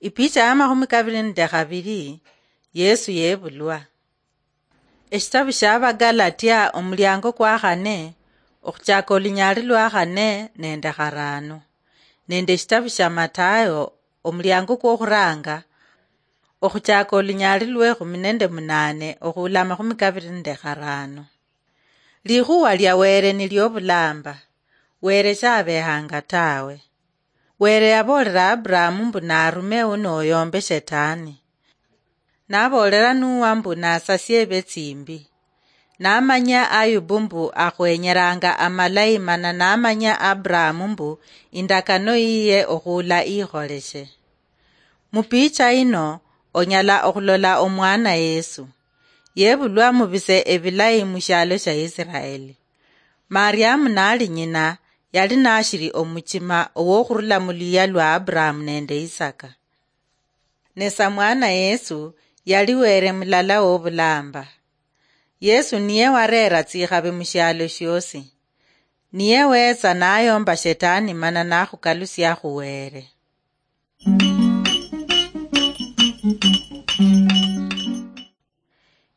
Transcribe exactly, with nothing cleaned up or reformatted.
Ipicha ya makhumi kabiri nende khabiri, Yesu yebulwa. Eshitabu shia Abagalatia omuliango kwa khane, okhuchaka olunyali lwa khane nende kharano, nende eshitabu shia Matayo omuliango kwokhuranga, okhuchaka olunyali lwekhumi nende munane okhuula amakhumi kabiri nende kharano. Likhuwa lia Were niliobulamba. Were shabehanga tawe. Were yaboolera Aburahamu mbu narume uno oyombe Shetani. Naboolera Nuwa mbu nasasie ebe tsimbi. Namanyia Ayubu mbu akhwenyeranga amalayi, mana namanyia Aburahamu mbu indakano yiye okhuula ikholeshe. Mupicha ino, onyala okhulola omwana Yesu. Yebulwa mubise ebilayi mushialo shia Isiraeli. Mariamu nali nyina, yali nashiri omuchima owokhurula muluyia lwa Aburahamu nende Isaka. Ne samwana Yesu yali Were mulala wobulamba. Yesu niye warera tsikhabi mushialo shiosi. Niye wetsa nayomba Shetani mana nakhukalusia khu Were.